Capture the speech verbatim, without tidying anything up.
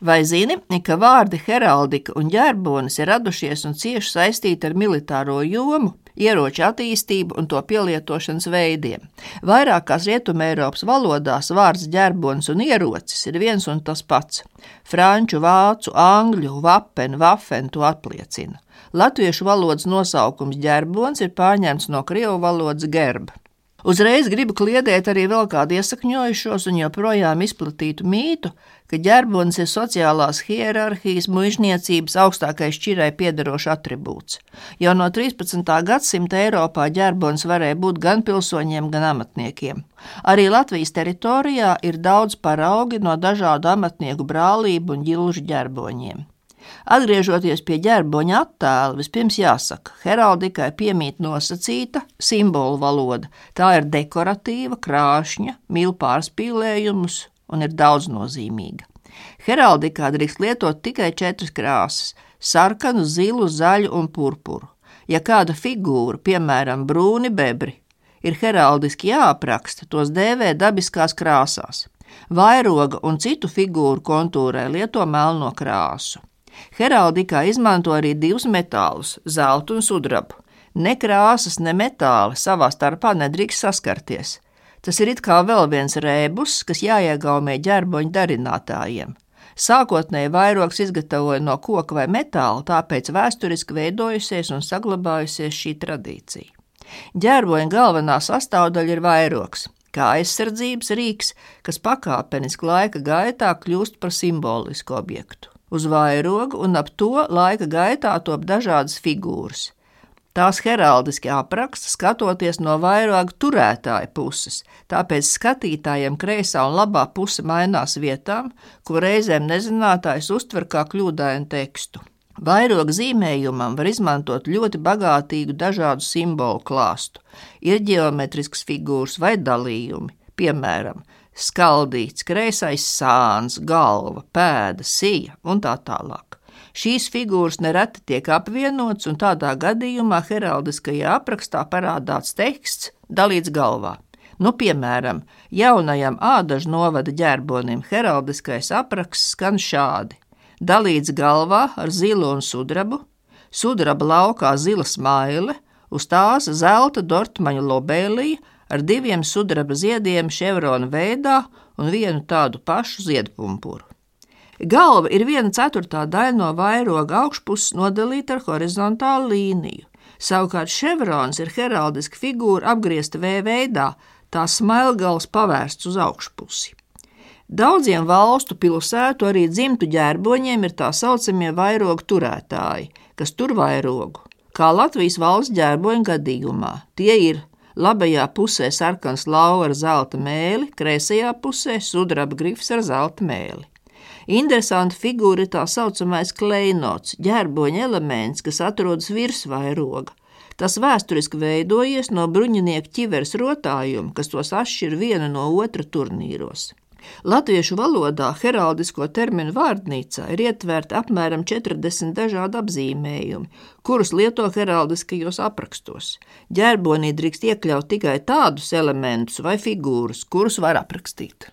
Vai zini, ka vārdi heraldika un ģerbonis ir radušies un cieši saistīti ar militāro jomu, ieroču attīstību un to pielietošanas veidiem? Vairākās Rietumeiropas valodās vārds ģerbonis un ierocis ir viens un tas pats. Franču, vācu, angļu, vapen, vafen to apliecina. Latviešu valodas nosaukums ģerbonis ir pārņemts no krievu valodas gerb. Uzreiz gribu kliedēt arī vēl kādu iesakņojušos un joprojām izplatītu mītu, ka ģerbonis ir sociālās hierarhijas, muižniecības augstākais šķirai piederošs atribūts. Jau no trīspadsmitā gadsimta Eiropā ģerbonis varēja būt gan pilsoņiem, gan amatniekiem. Arī Latvijas teritorijā ir daudz paraugi no dažādu amatnieku brālību un ģilžu ģerboņiem. Atgriežoties pie ģerboņa attēla, vispirms jāsaka, heraldikai piemīt nosacīta simbolu valoda. Tā ir dekoratīva, krāšņa, mīl pārspīlējumus un ir daudznozīmīga. Heraldikā drīkst lietot tikai četras krāsas – sarkanu, zilu, zaļu un purpuru. Ja kāda figūra, piemēram, brūni bebri, ir heraldiski jāapraksta, tos dēvē dabiskās krāsās. Vairoga un citu figūru kontūrai lieto melno krāsu. Heraldikā izmanto arī divus metālus – zeltu un sudrabu. Ne krāsas, ne metāli savā starpā nedrīkst saskarties. Tas ir it kā vēl viens rēbus, kas jāiegaumē ģerboņu darinātājiem. Sākotnēji vairogs izgatavoja no koka vai metāla, tāpēc vēsturiski veidojusies un saglabājusies šī tradīcija. Ģerboņa galvenā sastāvdaļa ir vairogs, kā aizsardzības rīks, kas pakāpeniski laika gaitā kļūst par simbolisku objektu. Uz vairogu un ap to laika gaitā top dažādas figūras. Tās heraldiski apraksta skatoties no vairoga turētāja puses, tāpēc skatītājiem kreisā un labā puse mainās vietām, ko reizēm nezinātājs uztver kā kļūdainu tekstu. Vairoga zīmējumam var izmantot ļoti bagātīgu dažādu simbolu klāstu. Ir ģeometriskas figūras vai dalījumi, piemēram, skaldīts, kreisais sāns, galva, pēda, sija un tā tālāk. Šīs figūras nereti tiek apvienots un tādā gadījumā heraldiskajā aprakstā parādāts teksts dalīts galvā. Nu, piemēram, jaunajam Ādažu novada ģerbonim heraldiskais apraksts skan šādi. Dalīts galvā ar zilu un sudrabu, sudraba laukā zila smaile, uz tās zelta dortmaņu lobēlija, ar diviem sudraba ziediem ševrona veidā un vienu tādu pašu ziedpumpuru. Galva ir viena ceturtā daļa no vairoga augšpuses nodalīta ar horizontālu līniju. Savukārt ševrons ir heraldiska figūra apgriezta V veidā, tā smailgals pavērsts uz augšpusi. Daudziem valstu pilsētu arī dzimtu ģerboņiem ir tā saucamie vairogu turētāji, kas tur vairogu. Kā Latvijas valsts ģerboņu gadījumā, tie ir labajā pusē sarkans lauva ar zelta mēli, kreisajā pusē sudraba grifs ar zelta mēli. Interesanta figūra ir tā saucamais kleinots, ģerboņa elements, kas atrodas virs vairoga. Tas vēsturiski veidojies no bruņinieku ķiveres rotājuma, kas tos atšķir vienu no otra turnīros. Latviešu valodā heraldisko terminu vārdnīcā ir ietverti apmēram četrdesmit dažādi apzīmējumi, kurus lieto heraldiskajos aprakstos. Ģerbonī drīkst iekļaut tikai tādus elementus vai figūras, kurus var aprakstīt.